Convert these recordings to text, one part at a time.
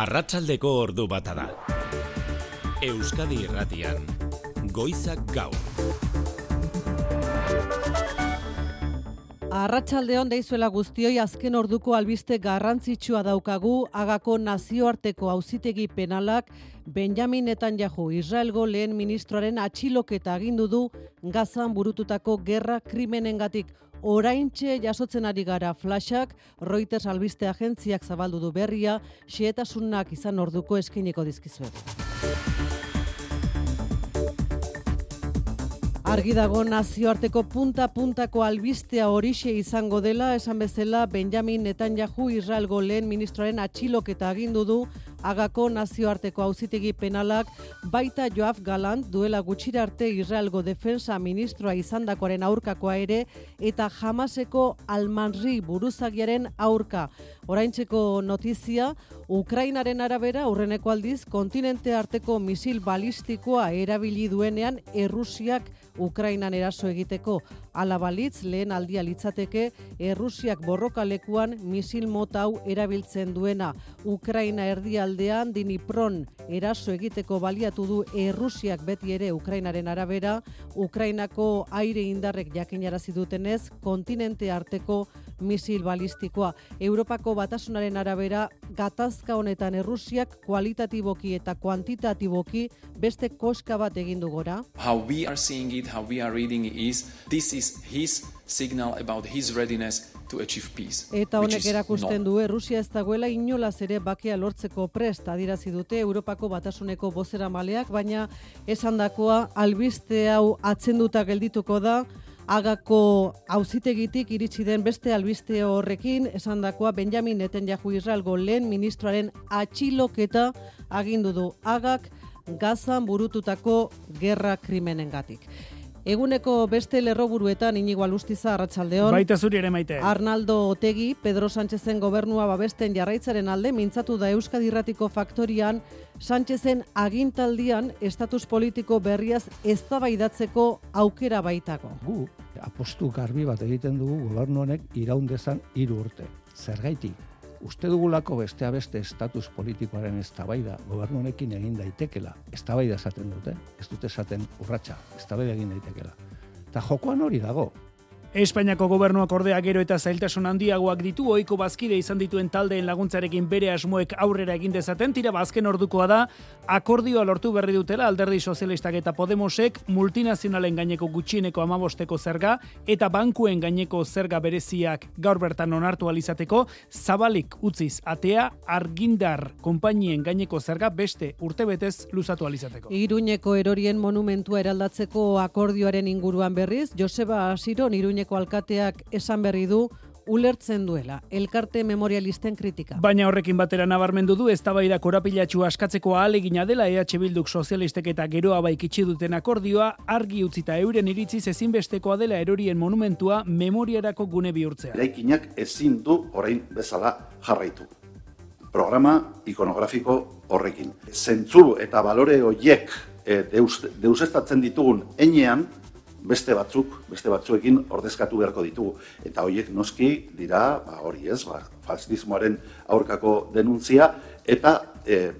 Arratsaldeko ordu bata da. Euskadi Irratian, Goizak Gaur. Arratsaldeon deizuela guztioi, azken orduko albiste garrantzitsua daukagu. Hagako nazioarteko auzitegi penalak Benjamin Netanyahu, Israelgo lehen ministroaren atxiloketa agindu du Gazan burututako gerra krimenengatik. Oraintxe jasotzen ari gara flashak, Reuters albiste agentziak zabaldu du berria, xehetasunak izan orduko eskainiko dizkizuet. Argi dago nazioarteko punta-puntako albistea horixe izango dela, esan bezala Benjamin Netanyahu Israelgo lehen ministroaren atxiloketa agindu du Hagako nazioarteko auzitegi penalak, baita Yoav Gallant duela gutxira arte Israelgo defensa ministroa izandakoaren aurkakoa ere, eta Hamaseko Al-Manri buruzagiaren aurka. Oraintzeko notizia, Ukrainaren arabera aurreneko aldiz kontinente arteko misil balistikoa erabili duenean Errusiak Ukrainan eraso egiteko. Hala balitz, lehen aldia litzateke Errusiak borrokalekuan misil mota hau erabiltzen duena. Ukraina erdialdean Dnipron eraso egiteko baliatu du Errusiak beti ere Ukrainaren arabera. Ukrainako aire indarrek jakinarazi dutenez, kontinente arteko misil balistikoa. Europako batasunaren arabera, gatazka honetan Errusiak kualitatiboki eta kuantitatiboki beste koska bat egin du gora. How we are seeing it, how we are reading it this is his signal about his readiness to achieve peace. Eta honek erakusten du Errusia ez dagoela inolaz ere bakea lortzeko prest, adierazi dute Europako batasuneko bozeramaleak, baina esandakoa albiste hau atzenduta geldituko da. Hagako auzitegitik iritsi den beste albiste horrekin, esandakoa Benjamin Netanyahu Israelgo lehen ministroaren atxiloketa agindu du Hagak Gazan burututako gerra krimenengatik. Eguneko beste lerroburuetan Inigo Alustiza, arratsaldeon. Baita zuri ere, Maite. Arnaldo Otegi, Pedro Sánchezen gobernua babesten jarraitzaren alde, mintzatu da Euskadi Irratiko Faktorian, Sánchezen agintaldian estatus politiko berriaz eztabaidatzeko aukera baitago. Gu apostu garbi bat egiten dugu gobernu honek iraun dezan 3 urte. Zergaitik? Uste dugulako beste estatus politikoaren eztabaida gobernu honekin egin daitekela. Eztabaida esaten dute, ez dute esaten urratsa, eztabaida egin daitekela. Eta jokoan hori dago. Espainiako gobernuak ordea gero eta zailtasun handiagoak ditu, ohiko bazkide izan dituen taldeen laguntzarekin bere asmoek aurrera egin dezaten, tira azken ordukoa da, akordioa lortu berri dutela Alderdi Sozialistak eta Podemosek multinazionalen gaineko gutxieneko 15 zerga eta bankuen gaineko zerga bereziak gaur bertan onartu alizateko, zabalik utziz atea Argindar konpainien gaineko zerga beste urtebetez luzatu alizateko. Iruñeko erorien monumentua eraldatzeko akordioaren inguruan berriz, Joseba Asiron Iruñeko alkateak esan berri du ulertzen duela elkarte memorialisten kritika. Baina horrekin batera nabarmendu du eztabaida korapilatxua askatzeko ahalegina dela EH Bilduk sozialistek eta geroa baikitsi duten akordioa argi utzita euren iritziz ezinbestekoa dela erorien monumentua memoriarako gune bihurtzea. Eraikinak ezin du orain bezala jarraitu. Programa ikonografiko horrekin. Zentzu eta balore horiek deusestatzen ditugun heinean beste batzuekin ordezkatu beharko ditugu. Eta horiek noski dira, hori ez, fascismoaren aurkako denuntzia, eta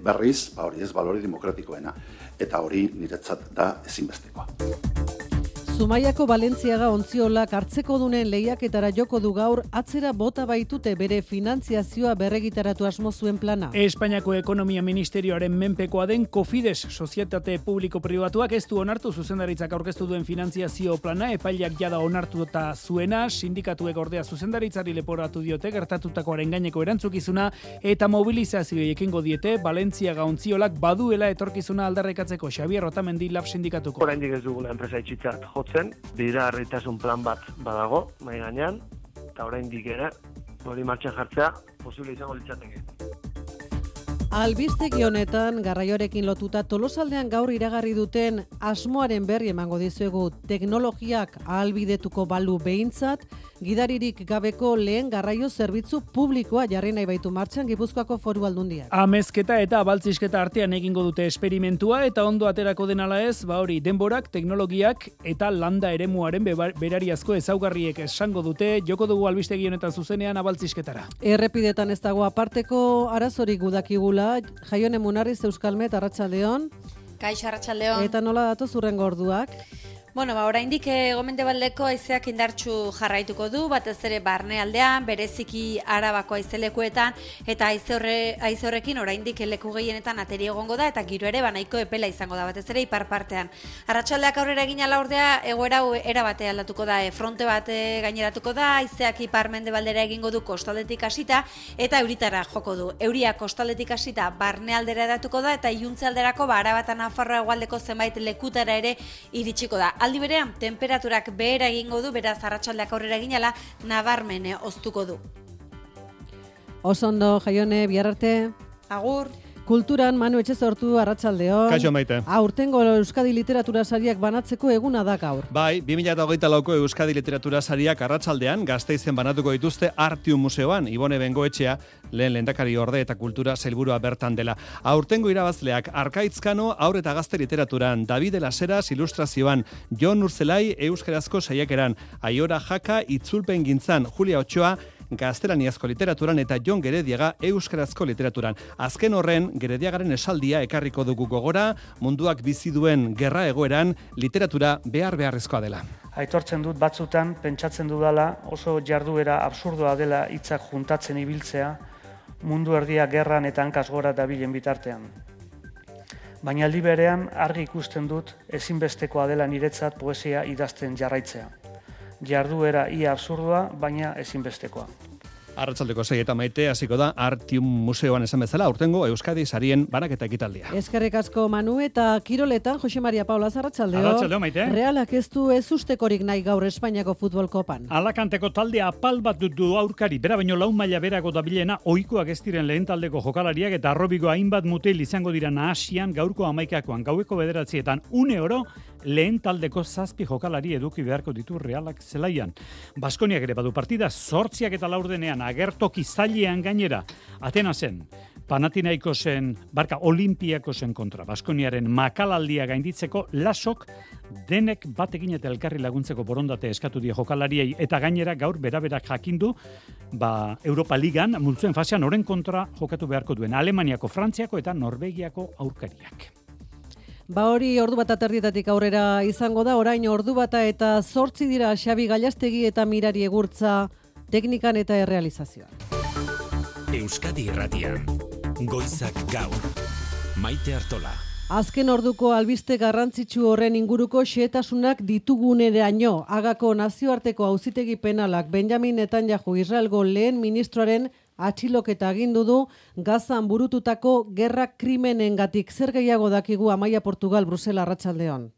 berriz, hori ez, balore demokratikoena. Eta hori niretzat da ezinbestekoa. Zumaiako Valentziaga ontziolak hartzeko dunen lehiaketara joko du gaur, atzera bota baitute bere finantziazioa berregitaratu asmo zuen plana. Espainiako Ekonomia Ministerioaren menpekoa den Cofides sozietate publiko-pribatuak ez du onartu zuzendaritzak aurkeztu duen finantziazio plana, epaileak jada onartu eta zuena, sindikatuek ordea zuzendaritzari leporatu diote gertatutakoaren gaineko erantzukizuna eta mobilizazio ekingo diete Valentziaga ontziolak baduela etorkizuna aldarrikatzeko. Xabier Otamendi Lab sindikatuko. Oraindik ez dugula enpresa itxitzat jotzen, bideragarritasun plan bat badago, mahai gainean, eta oraindik ere hori martxan jartzea posible izango litzateke. Albistegi honetan, garraioarekin lotuta Tolosaldean gaur iragarri duten asmoaren berri emango dizuegu teknologiak ahalbidetuko balu behintzat, gidaririk gabeko lehen garraio zerbitzu publikoa jarri nahi baitu martxan Gipuzkoako Foru Aldundiak. Amezketa eta abaltzisketa artean egingo dute esperimentua eta ondo aterako denala ez, hori denborak, teknologiak eta landa eremuaren berariazko ezaugarriek esango dute, joko dugu albistegi honetan zuzenean abaltzisketara. Errepidetan ez dago aparteko arazorik gudakigula, Jaione Munarriz Euskalmet, Arratsaldeon. Kaixo, Arratsaldeon. Eta nola datoz hurrengo orduak? Bueno, oraindik gomendebaldeko haizeak indartsu jarraituko du, batez ere barnealdean, bereziki Arabako haizelekuetan, eta haize horrekin oraindik leku gehienetan ateri egongo da, eta giro ere nahiko epela izango da, batez ere ipar partean. Arratsaldeak aurrera egin ala ordea, egoera era bate aldatuko da, fronte bat gaineratuko da, haizeak ipar mendebaldera egingo du kostaldetik hasita, eta euritara joko du. Euria kostaldetik hasita barnealdera edatuko da, eta iluntzealderako Araba eta Nafarroa hegoaldeko zenbait lekutara ere iritsiko da. Aldi berean, temperaturak behera egingo du, beraz arratsaldeak aurrera eginala, nabarmen oztuko du. Osondo, Jaione, bihar arte. Agur. Kulturan, Manu Etxezortu, Arratsaldeon. Kaixo, Maite. Aurtengo Euskadi Literatura Sariak banatzeko eguna da gaur. Bai, 2024ko Euskadi Literatura Sariak arratsaldean Gasteizen banatuko dituzte Artium Museoan. Ibone Bengoetxea, lehendakari orde eta kultura sailburua bertan dela. Aurtengo irabazleak Arkaitzkano haur eta gazte literaturan, David Laseras ilustrazioan, Jon Urzelai euskarazko saiakeran, Aiora Jaka itzulpen gintzan, Julia Otxoa gaztelaniazko literaturan eta Jon Gerediaga euskarazko literaturan. Azken horren, Gerediagaren esaldia ekarriko dugu gogora, munduak bizi duen gerra egoeran literatura beharrezkoa dela. Aitortzen dut batzutan, pentsatzen dudala, oso jarduera absurdoa dela hitzak juntatzen ibiltzea, mundu erdia gerran eta hankaz gora dabilen bitartean. Baina aldi berean argi ikusten dut ezinbestekoa dela niretzat poesia idazten jarraitzea. Jarduera ia absurdoa, baina ezinbestekoa. Arratsaldeko 6 eta Maite hasiko da Artium Museoan esan bezala aurtengo Euskadi sarien banaketa ekitaldia. Eskerrik asko Manu eta kiroletan Jose Maria Paula Arratsaldeo. Arratsaldeo, Maite. Realak ez du ustekorik nahi gaur Espainiako futbol kopan. Alakanteko taldea apal bat du aurkari, bera baino 4 maila berago dabilena, ohikoak ez diren lehen taldeko jokalariak eta arrobiko hainbat mutil izango dira nahasian gaurko 11koan, gaueko 9etan une oro lehen taldeko 7 jokalari eduki beharko ditu Realak zelaian. Baskoniak ere badu partida 8 eta 4 agertoki zailean gainera. Atenasen, Panathinaikosen, Olimpiakosen kontra. Baskoniaren makalaldia gainditzeko Lasok denek batekin eta elkarri laguntzeko borondate eskatu die jokalariei eta gainera gaur beraberak jakindu Europa Ligan multzoen fasean oren kontra jokatu beharko duen Alemaniako, Frantziako eta Norvegiako aurkariak. Hori ordu bat aterdietatik aurrera izango da, orain ordu bata eta 8 dira Xabi Gallastegi eta Mirari Egurtza teknikan eta errealizazioan. Euskadi Irratian, Goizak Gaur, Maite Artola. Azken orduko albiste garrantzitsu horren inguruko xehetasunak dituguneraino. Hagako nazioarteko auzitegi penalak Benjamin Netanyahu Israelgo lehen ministroaren atxiloketa agindu du Gazan burututako gerra krimenengatik. Zer gehiago dakigu Amaia Portugal, Brusela, Arratsaldeon.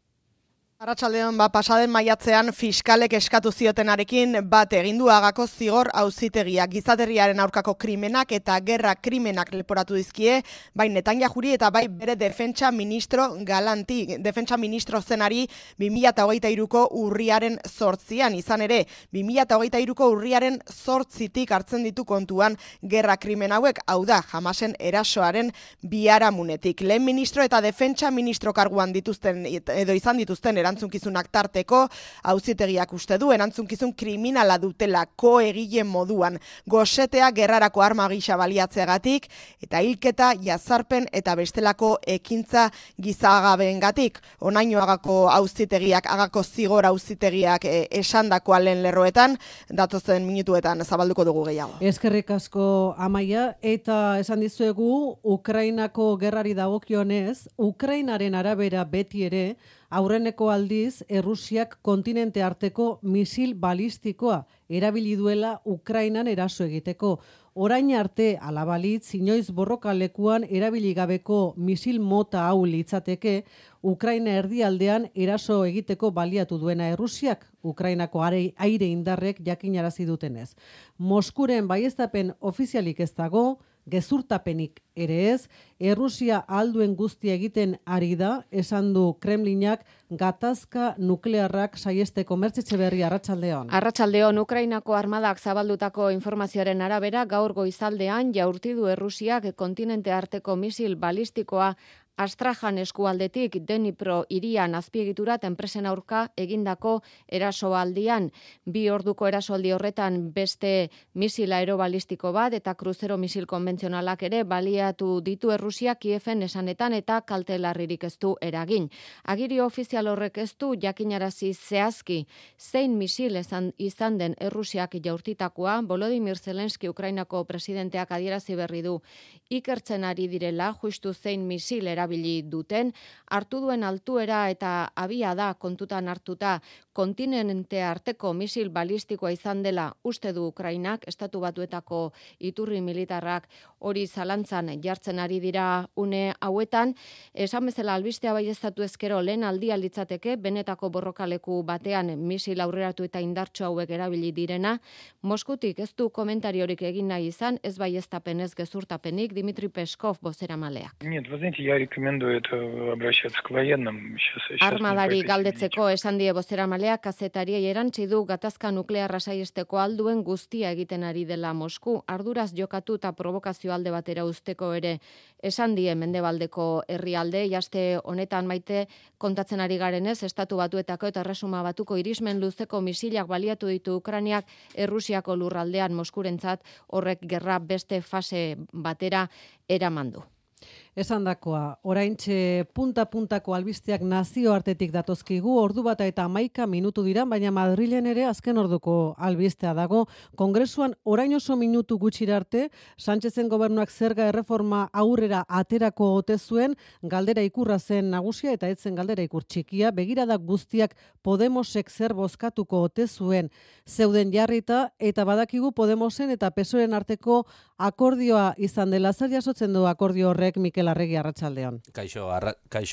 Arratsaldeon, pasaden maiatzean fiskalek eskatu ziotenarekin bat egindu Hagako zigor auzitegiak gizateriaren aurkako krimenak eta gerra krimenak leporatu dizkie, bai Netanyahuri eta bai bere defentsa ministro Galanti, defentsa ministro zenari 2023ko urriaren 8an, izan ere 2023ko urriaren 8tik hartzen ditu kontuan gerra krimen hauek, hau da Hamasen erasoaren biharamunetik. Lehen ministro eta defentsa ministro karguan dituzten edo izan dituzten erantzukizunak tarteko, auzitegiak uste du erantzunkizun kriminala dutela koegile moduan, gosetea gerrarako arma gisa baliatzeagatik eta hilketa, jazarpen eta bestelako ekintza gizagabeengatik. Onaino Hagako zigor auzitegiak esandakoa lehen lerroetan, datozen minutuetan zabalduko dugu gehiago. Eskerrik asko Amaia, eta esan dizuegu Ukrainako gerrari dagokionez, Ukrainaren arabera beti ere aurreneko aldiz, Errusiak kontinente arteko misil balistikoa erabili duela Ukrainan eraso egiteko. Orain arte alabalitz, inoiz borrokalekuan erabili gabeko misil mota hau litzateke, Ukraina erdialdean eraso egiteko baliatu duena Errusiak, Ukrainako aire indarrek jakinarazi dutenez. Moskuren baieztapen ofizialik ez dago, gezurtapenik ere ez, Errusia alduen guztia egiten ari da, esan du Kremlinak gatazka nuklearrak saiesteko. Mertzitxe Berri, arratsaldeon. Arratsaldeon, Ukrainako armadak zabaldutako informazioaren arabera gaur goizaldean jaurti du Errusiak kontinente arteko misil balistikoa Astrajan eskualdetik Dnipro hirian azpiegiturat enpresen aurka egindako erasoaldian. 2 orduko erasoaldi horretan beste misil aerobalistiko bat eta kruzero misil konbentzionalak ere baliatu ditu Errusia Kieven esanetan eta kalte larririk ez du eragin. Agiri ofizial horrek ez du jakinarazi zehazki zein misil izan den Errusiak jaurtitakoa. Volodymyr Zelensky Ukrainako presidenteak adierazi berri du ikertzen ari direla justu zein misil erabili duten, hartu duen altuera eta abia da kontutan hartuta kontinente arteko misil balistikoa izan dela uste du Ukrainak, Estatu Batuetako iturri militarrak hori zalantzan jartzen ari dira une hauetan. Esan bezala albistea baieztatu ezkero lehen aldia litzateke benetako borrokaleku batean misil aurreratu eta indartsu hauek erabili direna. Moskutik ez du komentariorik egin nahi izan, ez baieztapen ez gezurtapenik, Dmitry Peskov bozeramaleak. Armadari galdetzeko esan die bozeramaleak kazetariei erantzi du gatazka nuklearra saiesteko alduen guztia egiten ari dela Mosku. Arduraz jokatu eta provokazio alde batera usteko ere esan die mendebaldeko herrialde. Jaste honetan Maite kontatzen ari garenez, Estatu Batuetako eta Erresuma Batuko irismen luzeko misilak baliatu ditu Ukrainiak Errusiako lurraldean Moskurentzat, horrek gerra beste fase batera eramandu. Esandakoa, oraintxe punta-puntako albisteak nazioartetik datozkigu, ordu bata eta 11 minutu dira, baina Madrilen ere azken orduko albistea dago. Kongresuan orain oso minutu gutxira arte, Sánchezen gobernuak zerga erreforma aurrera aterako ote zuen, galdera ikurra zen nagusia eta etzen galdera ikur txikia, begiradak guztiak Podemosek zer bozkatuko ote zuen zeuden jarrita, eta badakigu Podemosen eta PSOEren arteko akordioa izan dela. Zer jasotzen du akordio horrek, Mikel Arregi, arratsaldeon. Kaixo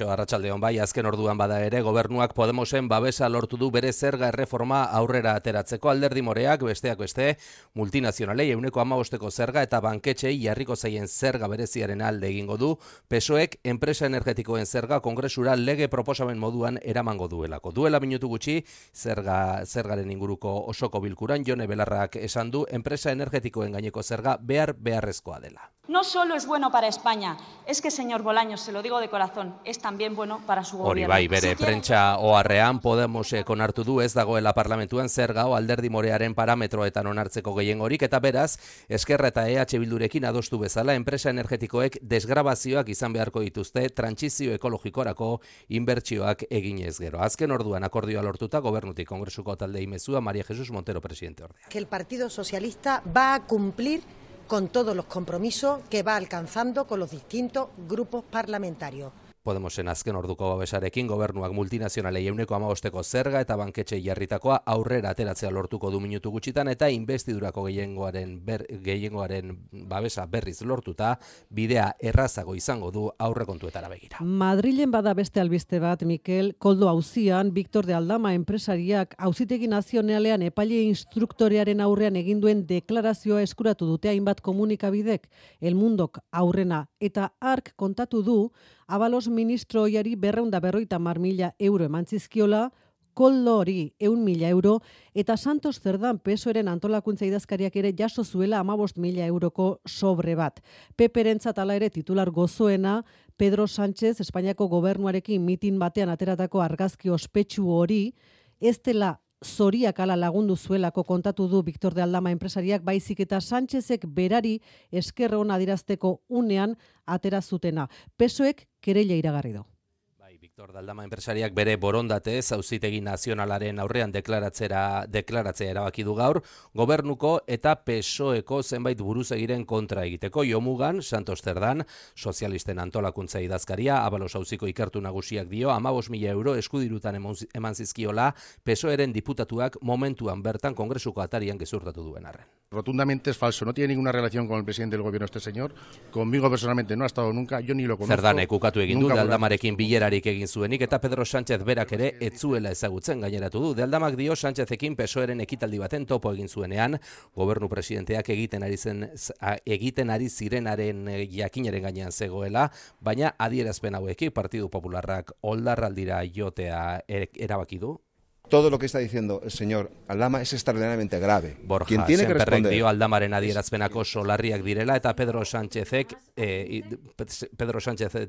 arratsaldeon, bai, azken orduan bada ere, gobernuak Podemosen babesa lortu du bere zerga erreforma aurrera ateratzeko. Alderdi moreak, besteak beste, multinazionalei 15% zerga eta banketxei jarriko zaien zerga bereziaren alde egingo du. PSOEk enpresa energetikoen zerga kongresura lege proposamen moduan eramango duelako. Duela minutu gutxi, zergaren inguruko osoko bilkuran, Jone Belarrak esan du, enpresa energetikoen gaineko zerga beharrezkoa dela. No solo es bueno para España, es que, señor Bolaños, se lo digo de corazón, es también bueno para su gobierno. Hori bai, bere prentsa oharrean Podemosek onartu du ez dagoela parlamentuan zerga alderdi morearen parametroetan onartzeko gehiengorik, eta beraz, Eskerra eta EH Bildurekin adostu bezala enpresa energetikoek desgrabazioak izan beharko dituzte trantsizio ekologikorako inbertsioak eginez gero. Azken orduan akordioa lortuta gobernutik kongresuko taldei mezua María Jesús Montero, presidente ordea. Que el Partido Socialista va a cumplir con todos los compromisos que va alcanzando con los distintos grupos parlamentarios. Podemosen azken orduko babesarekin gobernuak multinazionalei 15% zerga eta banketxei jarritakoa aurrera ateratzea lortuko du minutu gutxitan eta investidurako gehiengoaren babesa berriz lortuta bidea errazago izango du aurrekontuetara begira. Madrilen bada beste albiste bat, Mikel, Koldo auzian Victor de Aldama enpresariak auzitegi nazionalean epaile instruktorearen aurrean egin duen deklarazioa eskuratu dute hainbat komunikabidek. El Mundok aurrena eta ark kontatu du Abalos ministro oiari 250.000 euro emantzizkiola, Koldo hori 100.000 euro, eta Santos Zerdan PSOEren antolakuntza idazkariak ere jaso zuela 15.000 euroko sobre bat. Peperentzat hala ere titular gozoena, Pedro Sánchez Espainiako gobernuarekin mitin batean ateratako argazki ospetsu hori, ez dela zoriak ala lagundu zuelako kontatu du Victor de Aldama enpresariak, baizik eta Sánchezek berari esker ona adierazteko unean atera zutena. PSOEk kereila iragarri du. Victor de Aldama enpresariak bere borondatez auzitegi nazionalaren aurrean deklaratzea erabaki du gaur, gobernuko eta PSOEko zenbait buruzagiren kontra egiteko. Jomugan, Santos Zerdan, sozialisten antolakuntza idazkaria, Abalos auziko ikertu nagusiak dio, 15.000 euro eskudirutan eman zizkiola PSOEren diputatuak momentuan bertan kongresuko atarian gezurtatu duen arren. Rotundamente es falso, no tiene ninguna relación con el presidente del gobierno este señor, conmigo personalmente no ha estado nunca, yo ni lo conozco. Zerdanek ukatu egin du, de Aldamarekin bilerarik egin zuenik, eta Pedro Sánchez berak ere ez zuela ezagutzen gaineratu du. De Aldamak dio Sánchezekin PSOEren ekitaldi baten topo egin zuenean, gobernu presidenteak egiten ari zirenaren jakinaren gainean zegoela, baina adierazpen hauekin Partidu Popularrak oldarraldira jotea erabaki du. Todo lo que está diciendo el señor Aldama es extraordinariamente grave. Borja, quien tiene que responder dio Aldamaren adierazpenak oso larriak direla eta Pedro Sánchez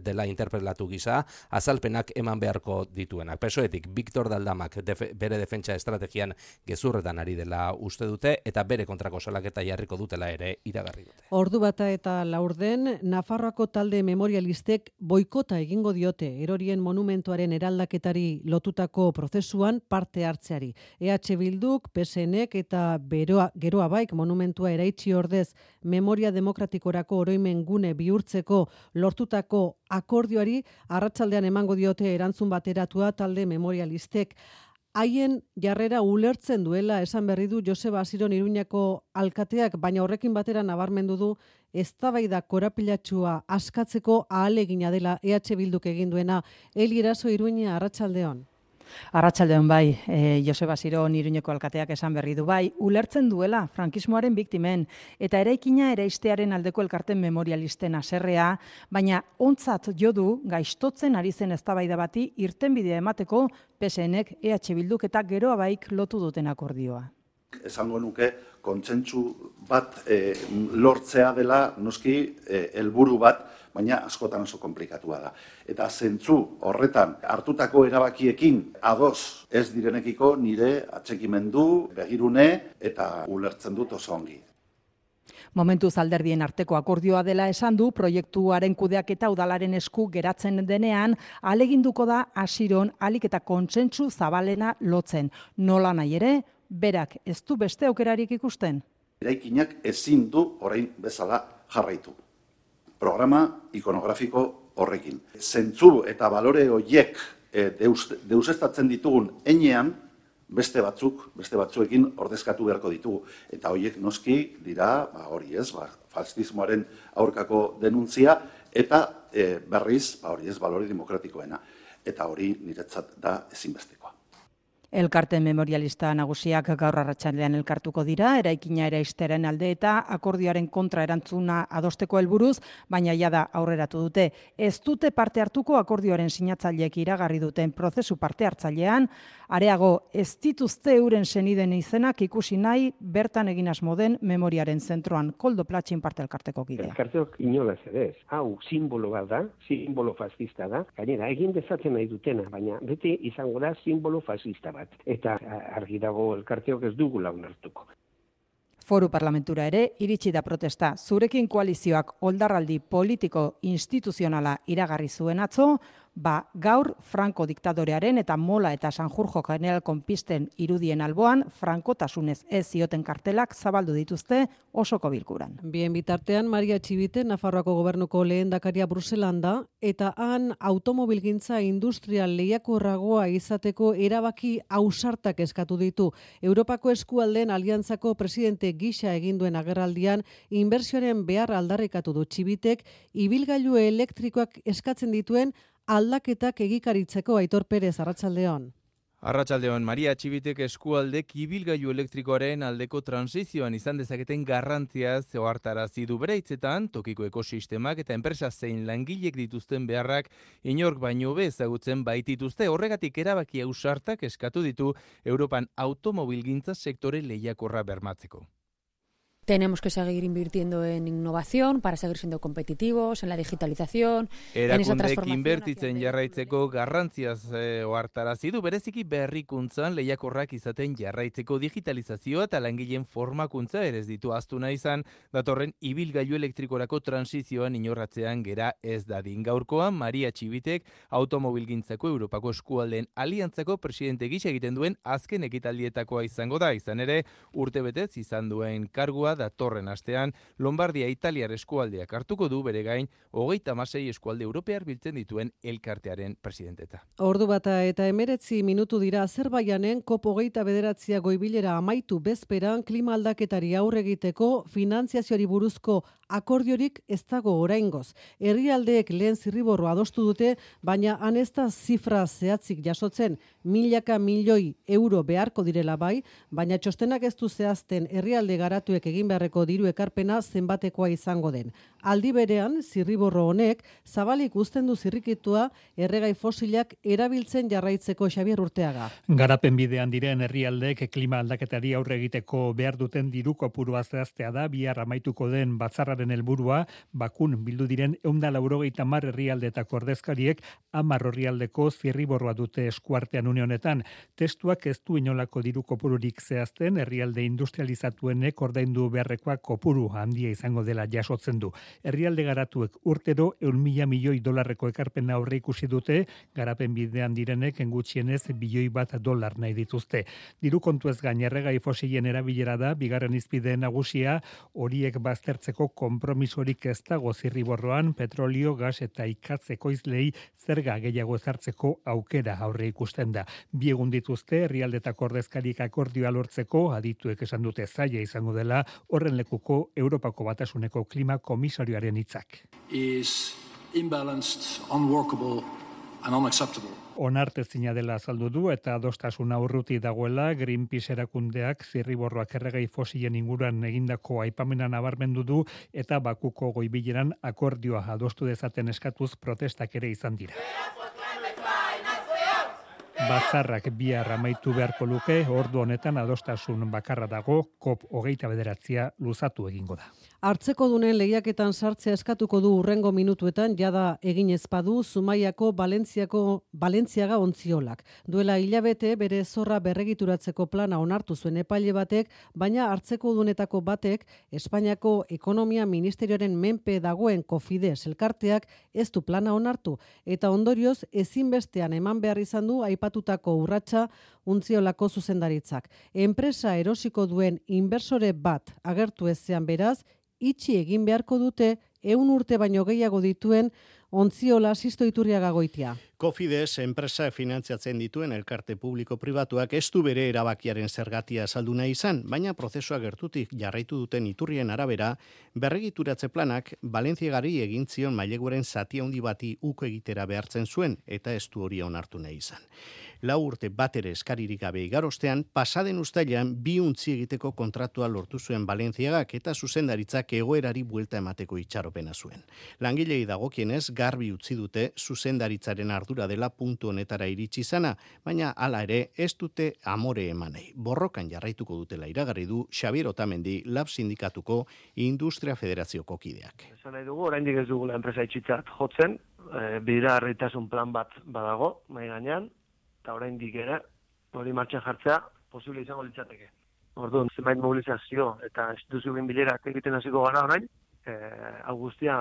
dela interpelatu gisa azalpenak eman beharko dituenak. PSOEtik Víctor de Aldamak bere defentsa estrategian gezurretan ari dela uste dute eta bere kontrako salaketa jarriko dutela ere iragarri dute. Ordu bata eta laurden, Nafarroako talde memorialistek boikota egingo diote erorien monumentuaren eraldaketari lotutako prozesuan parte hartzeari. EH Bilduk, PSNek eta Geroa Baik monumentua eraitsi ordez memoria demokratikorako oroimen gune bihurtzeko lortutako akordioari arratsaldean emango diote erantzun bateratua talde memorialistek. Haien jarrera ulertzen duela esan berri du Joseba Asiron Iruñako alkateak, baina horrekin batera nabarmendu du eztabaida korapilatsua askatzeko ahalegina dela EH Bilduk egin duena. Eli Eraso Iruña, arratsaldeon. Arratsaldeon bai, Joseba Asiron Iruñeko alkateak esan berri du bai, ulertzen duela frankismoaren biktimen eta eraikina eraistearen aldeko elkarten memorialisten haserrea, baina ontzat jo du gaiztotzen ari zen eztabaida bati irtenbidea emateko PSNek, EH Bilduk eta Geroa Baik lotu duten akordioa. Esango nuke kontsentsu bat lortzea dela noski helburu bat, baina askotan oso komplikatua da. Eta zentzu horretan hartutako erabakiekin ados ez direnekiko nire atxekimendu, begirune eta ulertzen dut oso ongi. Momentuz alderdien arteko akordioa dela esan du, proiektuaren kudeaketa udalaren esku geratzen denean, ahaleginduko da Asiron ahalik eta kontsentsu zabalena lotzen. Nola nahi ere, berak ez du beste aukerarik ikusten. Eraikinak ezin du orain bezala jarraitu. Programa ikonografiko horrekin. Zentzu eta balore horiek deusestatzen ditugun enean, beste batzuekin ordezkatu beharko ditugu. Eta horiek noski dira, hori ez, fascismoaren aurkako denuntzia, eta berriz, hori ez, balore demokratikoena. Eta hori niretzat da ezinbestekoa. Elkarten memorialista nagusiak gaur arratsaldean elkartuko dira, eraikina eraisteren alde eta akordioaren kontra erantzuna adosteko helburuz, baina jada aurreratu dute. Ez dute parte hartuko akordioaren sinatzaileek iragarri duten prozesu parte hartzailean, areago ez dituzte euren seniden izenak ikusi nahi bertan egin asmo den memoriaren zentroan. Koldo Platxin parte elkarteko kidea. Elkarteok inolaz ere ez. Hau simbolo bat da, simbolo fascista da. Gainera, egin dezatzen nahi dutena, baina beti izango da simbolo fascista bat. Eta argi dago elkarteok ez dugu launartuko. Foru parlamentura ere iritsi da protesta. Zurekin koalizioak oldarraldi politiko instituzionala iragarri zuen atzo, gaur Franco diktadorearen eta Mola eta Sanjurjo general konpisten irudien alboan, frankotasunez ez zioten kartelak zabaldu dituzte osoko bilkuran. Bien bitartean, Maria Txibite, Nafarroako gobernuko lehendakaria Bruselan da, eta han automobilgintza industrial lehiakorragoa izateko erabaki ausartak eskatu ditu. Europako eskualdeen aliantzako presidente gisa egin duen agerraldian, inbertsioaren behar aldarrikatu du Txibitek, ibilgailu elektrikoak eskatzen dituen aldaketak egikaritzeko. Aitor Perez, arratsaldeon. Arratsaldeon, Maria Txibitek eskualdek ibilgailu elektrikoaren aldeko transizioan izan dezaketen garrantziaz ohartarazi du bere hitzetan, tokiko ekosistemak eta enpresa zein langilek dituzten beharrak inork baino be ezagutzen baitituzte. Horregatik erabaki ausartak eskatu ditu Europan automobilgintza sektore lehiakorra bermatzeko. Tenemos que seguir invirtiendo en innovación para seguir siendo competitivos, en la digitalización, en esa transformación. Inbertitzen jarraitzeko garrantziaz ohartarazi du, bereziki berrikuntzan lehiakorrak izaten jarraitzeko digitalizazioa eta langileen formakuntza ere ez ditu ahaztu nahi izan, datorren ibilgailu elektrikorako transizioan inorratzean gera ez dadin. Gaurkoan, Maria Txibitek automobilgintzako Europako eskualdeen aliantzako presidente gisa egiten duen azken ekitaldietakoa izango da, izan ere urtebetez izan duen kargua prozesua datorren astean Lombardia Italiar eskualdeak hartuko du bere gain 36 eskualde europear biltzen dituen elkartearen presidenteta. Ordu bata eta 19 minutu dira Azerbaijanen COP29 goibilera amaitu bezperan klima aldaketari aurre egiteko finantziazioari buruzko akordiorik ez dago oraingoz. Herrialdeek lehen zirriborroa adostu dute, baina han ez da zifra zehatzik jasotzen, milaka milioi euro beharko direla bai, baina txostenak ez du zehazten herrialde garatuek egin beharreko diru ekarpena zenbatekoa izango den. Aldi berean, zirriborro honek zabalik uzten du zirrikitua erregai fosilak erabiltzen jarraitzeko. Xabier Urteaga. Garapen bidean diren herrialdeek klima aldaketari aurre egiteko behar duten diru kopurua zehaztea da, bihar amaituko den batzarraren helburua, bakun bildu diren 190 herrialdetako ordezkariek 10 herrialdeko zirriborroa dute eskuartean une honetan. Testuak ez du inolako diru kopururik zehazten, herrialde industrializatuenek ordaindu beharrekoa kopuru handia izango dela jasotzen du. Herrialde garatuek urtero 100 milioi dolarreko ekarpena aurre ikusi dute, garapen bidean direnek gutxienez $1 nahi dituzte. Diru kontuez gain erregai fosilen erabilera da bigarren izpide nagusia, horiek baztertzeko konpromisorik ez dago zirriborroan, petrolio, gas eta ikatz ekoizlei zerga gehiago ezartzeko aukera aurre ikusten da. Bi egun dituzte herrialdetako ordezkarik akordioa lortzeko, adituek esan dute zaila izango dela horren lekuko Europako Batasuneko klima komisarioaren hitzak. Is imbalanced, unworkable and unacceptable. Onartezina dela azaldu du eta adostasuna urruti dagoela Greenpeace erakundeak zirriborroak erregai fosilen inguruan egindako aipamena nabarmendu du eta Bakuko goibileran akordioa adostu dezaten eskatuz protestak ere izan dira. Batzarrak bihar amaitu beharko luke, ordu honetan adostasun bakarra dago, COP29 luzatu egingo da. Hartzeko dunen lehiaketan sartzea eskatuko du urrengo minutuetan, jada egin ezpadu Zumaiako Balentziaga ontziolak. Duela hilabete bere zorra berregituratzeko plana onartu zuen epaile batek, baina hartzeko dunetako batek Espainiako Ekonomia Ministerioaren menpe dagoen Cofides elkarteak ez du plana onartu, eta ondorioz ezinbestean eman behar izan du aipatutako urratsa ontziolako zuzendaritzak. Enpresa erosiko duen inversore bat agertu ezean beraz, itxi egin beharko dute 100 urte baino gehiago dituen Ontziola Sisto Iturriaga Goitia. Cofides enpresa finantziatzen dituen elkarte publiko-pribatuak ez du bere erabakiaren zergatia azaldu nahi izan, baina prozesua gertutik jarraitu duten Iturrien arabera, berregituratze planak Balentziagari egin zion maileguaren zati handi bati uko egitera behartzen zuen, eta ez du hori onartu nahi izan. 4 urte bat ere eskaririk gabe igarostean, pasaden uztailean 2 untzi egiteko kontratua lortu zuen Balentziagak eta zuzendaritzak egoerari buelta emateko itxaropena zuen. Langilei dagokienez garbi utzi dute zuzendaritzaren ardura dela puntu honetara iritsi izana, baina hala ere ez dute amore emanei. Borrokan jarraituko dutela iragarri du Xabier Otamendi Lab Sindikatuko Industria Federazioko kideak. Esan nahi dugu, oraindik ez dugula enpresa itxitzat jotzen, bideragarritasun plan bat badago, mahai gainean, eta oraindik ere hori martxan jartzea posible izango litzateke. Orduan, zenbait mobilizazio eta instituzioen bilerak egiten hasiko gara orain, hau guztia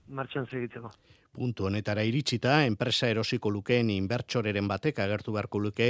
martxan segitzeko. Puntu honetara iritsita, enpresa erosiko lukeen inbertsoreren batek agertu beharko luke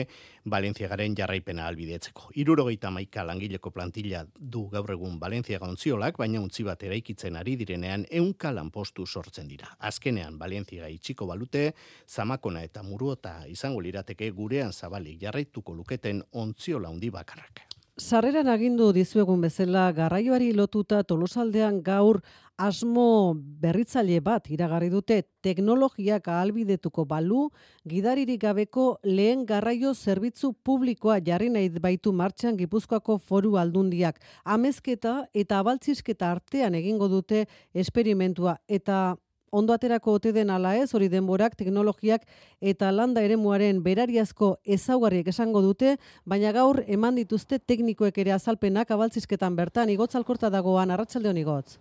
Balentziagaren jarraipena albidetzeko. 71 langileko plantilla du gaur egun Balentziaga ontziolak, baina untzi bat eraikitzen ari direnean 100 lanpostu sortzen dira. Azkenean Balentziaga itxiko balute, Zamakona eta Muruota izango lirateke gurean zabalik jarraituko luketen ontziola handi bakarrak. Sarreran agindu dizuegun bezala garraioari lotuta Tolosaldean gaur asmo berritzaile bat iragarri dute. Teknologiak ahalbidetuko balu, gidaririk gabeko lehen garraio zerbitzu publikoa jarri nahi baitu martxan Gipuzkoako Foru Aldundiak. Amezketa eta abaltzizketa artean egingo dute esperimentua eta ondo aterako ote den ala ez, hori denborak, teknologiak eta landa eremuaren berariazko ezaugarriek esango dute, baina gaur eman dituzte teknikoek ere azalpenak abaltzizketan bertan. Igotz Alkorta dagoan, arratsaldeon Igotz.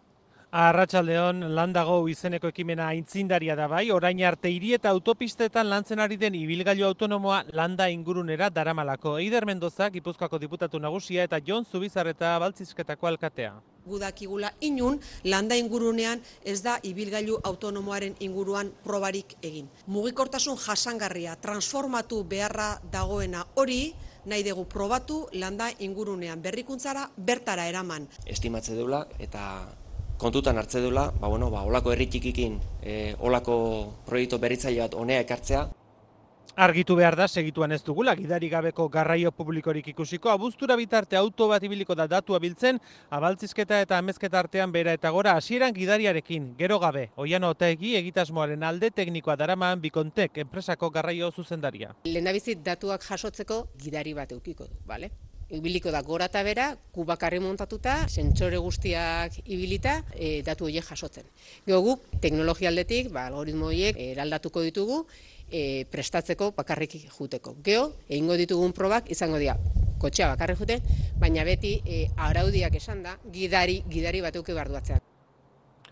Arratsaldeon, Landago izeneko ekimena aitzindaria da bai, orain arte hiri eta autopistetan lantzen ari den ibilgailu autonomoa Landa ingurunera daramalako. Eider Mendoza, Gipuzkoako diputatu nagusia, eta Jon Zubizarreta Baltzizketako alkatea. Gudakigula inun, Landa ingurunean ez da ibilgailu autonomoaren inguruan probarik egin. Mugikortasun jasangarria, transformatu beharra dagoena hori, nahi dugu probatu Landa ingurunean berrikuntzara bertara eraman. Estimatze deula eta kontutan hartze duela, olako herri txikikin, olako proiektu berritzaile bat honea ekartzea. Argitu behar da, segituan ez dugula, gidari gabeko garraio publikorik ikusiko, abuztura bitarte auto bat ibiliko da datua biltzen, abaltzizketa eta amezketa artean bera eta gora hasieran gidariarekin, gero gabe, Oiano Otaegi egitasmoaren alde teknikoa daraman Bikontek enpresako garraio zuzendaria. Lehendabizit datuak jasotzeko gidari bat eukiko du, bale? Ibiliko da gora eta bera, kubakarri montatuta, sentsore guztiak ibilita, datu horiek jasotzen. Gero guk, teknologia aldetik, algoritmo horiek eraldatuko ditugu, prestatzeko bakarrik juteko. Gero, egingo ditugun probak izango dira, kotxea bakarrik juten, baina beti araudiak esan da, gidari bat euki barduatzean.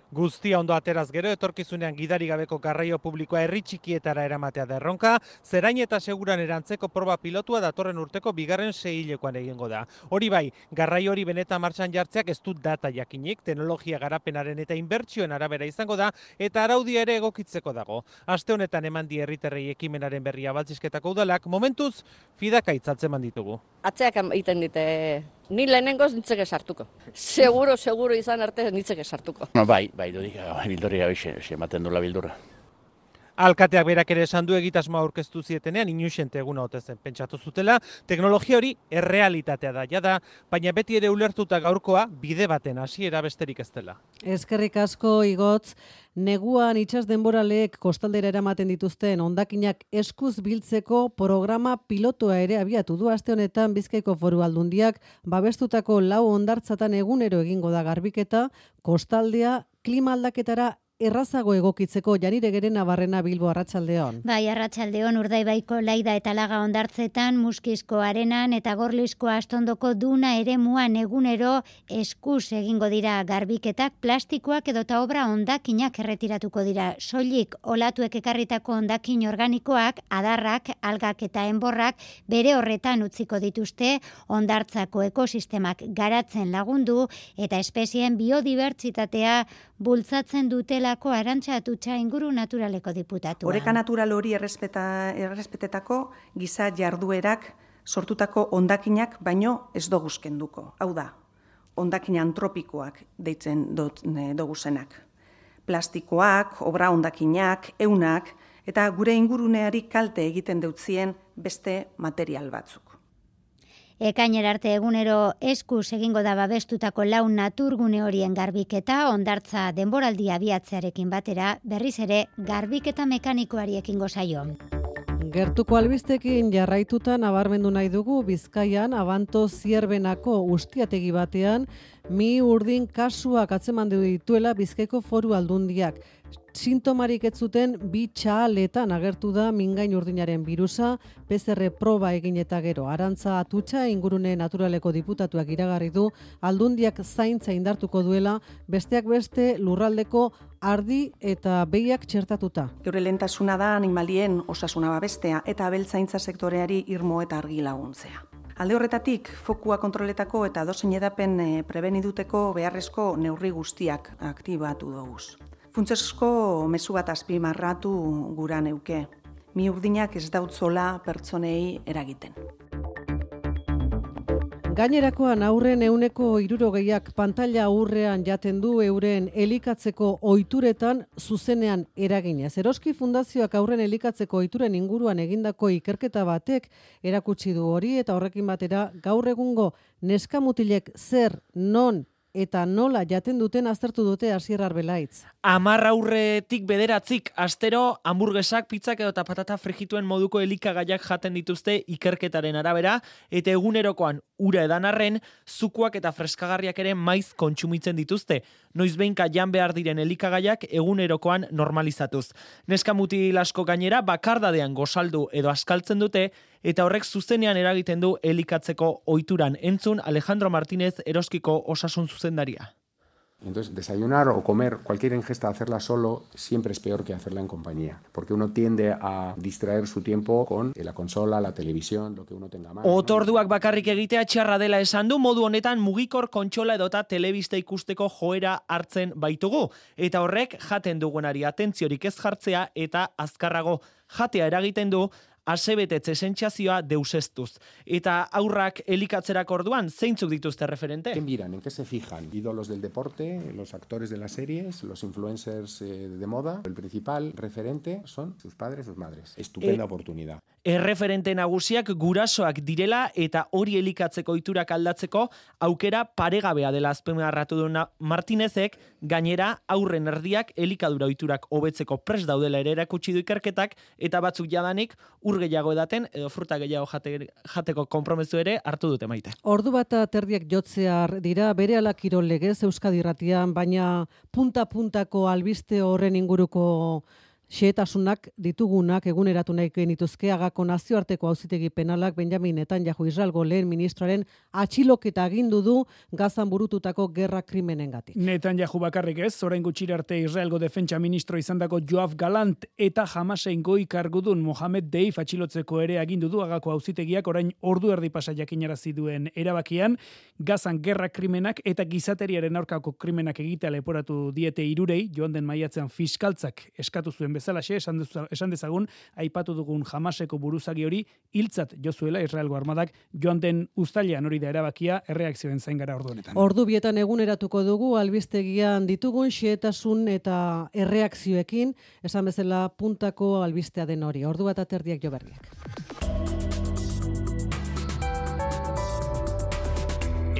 Guztia ondo ateraz gero, etorkizunean gidari gabeko garraio publikoa herri txikietara eramatea da erronka, zerain eta seguran erantzeko proba pilotua datorren urteko bigarren seihilekoan egingo da. Hori bai, garraio hori benetan martxan jartzeak ez du data jakinik, teknologia garapenaren eta inbertsioen arabera izango da, eta araudia ere egokitzeko dago. Aste honetan eman di herritarrei ekimenaren berria Baltzizketako udalak, momentuz fidaka itzaltzen ditugu. Atzeak egiten dite, ni lehenengoz nintzeke sartuko. Seguro izan arte nintzeke sartuko. Bai, dudik, bildurri gabe ematen dula bildurra. Alkateak berak ere esan du egitasmoa aurkeztu zietenean, inusente eguna ote zen pentsatu zutela, teknologia hori errealitatea da, jada, baina beti ere ulertuta gaurkoa bide baten hasiera besterik ez dela. Eskerrik asko Igotz, neguan itsas denboraleek kostaldera eramaten dituzten hondakinak eskuz biltzeko programa pilotua ere abiatu du aste honetan Bizkaiko Foru Aldundiak babestutako 4 hondartzatan egunero egingo da garbiketa, kostaldea klima aldaketara errazago egokitzeko. Janire Gerena Barrena, Bilbo, arratsaldeon. Bai, arratsaldeon, Urdaibaiko Laida eta Laga hondartzetan, Muskizko Arenan eta Gorlizko Astondoko Duna eremuan egunero eskuz egingo dira garbiketak, plastikoak edota obra hondakinak erretiratuko dira. Soilik olatuek ekarritako hondakin organikoak, adarrak, algak eta enborrak bere horretan utziko dituzte, hondartzako ekosistemak garatzen lagundu eta espezieen biodibertsitatea bultzatzen dutelako Arantxa Atutxa inguru naturaleko diputatua. Oreka natural hori errespetetako giza jarduerak sortutako hondakinak baino ez doguzkenduko. Hau da, hondakin antropikoak deitzen doguzenak. Plastikoak, obra hondakinak, eunak eta gure inguruneari kalte egiten deutzien beste material batzuk. Ekainera arte egunero eskuz egingo da babestutako 4 naturgune horien garbiketa, hondartza denboraldia abiatzearekin batera, berriz ere garbiketa mekanikoari ekingo zaio. Gertuko albistekin jarraituta nabarmendu nahi dugu Bizkaian Abanto Zierbenako ustiategi batean mi urdin kasuak atzeman dituela Bizkaiko Foru Aldundiak. Sintomarik ez zuten 2 txahaletan agertu da mingain urdinaren birusa, PCR proba egin eta gero. Arantza Atutxa ingurune naturaleko diputatuak iragarri du Aldundiak zaintza indartuko duela, besteak beste lurraldeko ardi eta behiak txertatuta. Geure lehentasuna da animalien osasuna babestea eta abeltzaintza sektoreari irmo eta argi laguntzea. Alde horretatik, fokua kontroletako eta dozein edapen prebeniduteko beharrezko neurri guztiak aktibatu doguz. Funtsezko mezu bat azpimarratu gura neuke. Mi urdinak ez dautzola pertsonei eragiten. Gainerakoan aurren 60%ak pantalla aurrean jaten du euren elikatzeko ohituretan zuzenean eraginez. Eroski Fundazioak aurren elikatzeko ohituren inguruan egindako ikerketa batek erakutsi du hori eta horrekin batera gaur egungo neskamutilek zer, non eta nola jaten duten aztertu dute Asier Arbelaitz. 10 aurretik 9 astero hamburguesak, pizzak edo patata frijituen moduko elikagaiak jaten dituzte ikerketaren arabera, eta egunerokoan ura edan arren, zukuak eta freskagarriak ere maiz kontsumitzen dituzte. Noizbehinka jan behar diren elikagaiak egunerokoan normalizatuz. Neska mutil asko gainera bakardadean gozaldu edo askaltzen dute, eta horrek zuzenean eragiten du elikatzeko ohituran. Entzun Alejandro Martínez Eroskiko osasun zuzendaria. Entonces, desayunar o comer, cualquier ingesta, hacerla solo, siempre es peor que hacerla en compañía, porque uno tiende a distraer su tiempo con la consola, la televisión, lo que uno tenga más. Otorduak bakarrik egitea txarra dela esan du, modu honetan mugikor kontsola edota telebista ikusteko joera hartzen baitugu. Eta horrek jaten dugunari atentziorik ez jartzea eta azkarrago jatea eragiten du, asebetetze sentsazioa deusestuz. Eta aurrak elikatzerak orduan, zeintzuk dituzte referente? ¿Qué miran? ¿En qué se fijan? Ídolos del deporte, los actores de las series, los influencers de moda. El principal referente son sus padres, sus madres. Estupenda oportunidad. Erreferente nagusiak gurasoak direla eta hori elikatzeko ohiturak aldatzeko aukera paregabea dela azpimarratu du Martinezek, gainera aurren erdiak elikadura ohiturak hobetzeko prest daudela ere erakutsi du ikerketak eta batzuk jadanik ur gehiago edaten edo fruta gehiago jateko konpromezu ere hartu dute maite. Ordu bat terdiak jotzear dira berehala kirol legez Euskadi Irratian, baina punta-puntako albiste horren inguruko xehetasunak ditugunak eguneratu nahi genituzke Agako nazioarteko auzitegi penalak Benjamin Netanyahu Israelgo lehen ministroaren atxiloketa agindu du Gazan burututako gerra krimenengatik. Netanyahu bakarrik ez, orain gutxira arte Israelgo defentsa ministro izandako Yoav Galant eta Hamasen goi kargudun Mohamed Deif atxilotzeko ere agindu du Agako auzitegiak orain ordu erdi pasa jakinarazi duen erabakian, Gazan gerra krimenak eta gizateriaren aurkako krimenak egitea leporatu diete hirurei, joan den maiatzean fiskaltzak eskatu zuen bezalaxe, esan dezagun, aipatu dugun Hamaseko buruzagi hori hiltzat jo zuela Israelgo armadak joan den uztailean, hori da erabakia, erreakzioen zain gara ordu honetan. Ordu bietan eguneratuko dugu albistegian ditugun xehetasun eta erreakzioekin, esan bezala puntako albistea den hori. Ordu bat aterdiak jo berriak.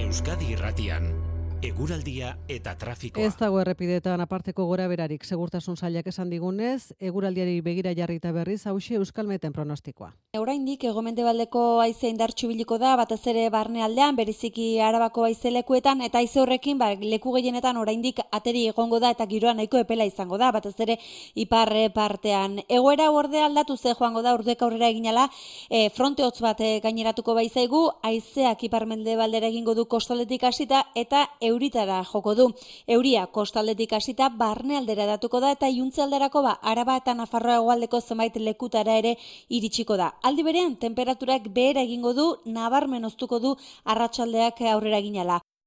Euskadi Irratian eguraldia eta trafikoa. Ez dago errepidetan aparteko gora berarik, segurtasun sailak esan digunez, eguraldiari begira jarrita berriz, hauxe Euskalmeten pronostikoa. Oraindik hegomendebaldeko haize indartsu ibiliko da, batez ere barnealdean, bereziki Arabako haize lekuetan, eta haize horrekin leku gehienetan oraindik ateri egongo da eta giroa nahiko epela izango da, batez ere ipar partean. Egoera ordea aldatu ze joango da, urduek aurrera eginala, fronte hotz bat gaineratuko baizaigu, haizeak iparmendebaldera egingo du kostaldetik hasita eta euritara joko du. Euria kostaldetik hasita barnealdera datuko da eta iuntzealderako Araba eta Nafarroa hegoaldeko zenbait lekutara ere iritsiko da. Aldi berean, temperaturak behera egingo du, nabarmen oztuko du arratsaldeak aurrera eginala.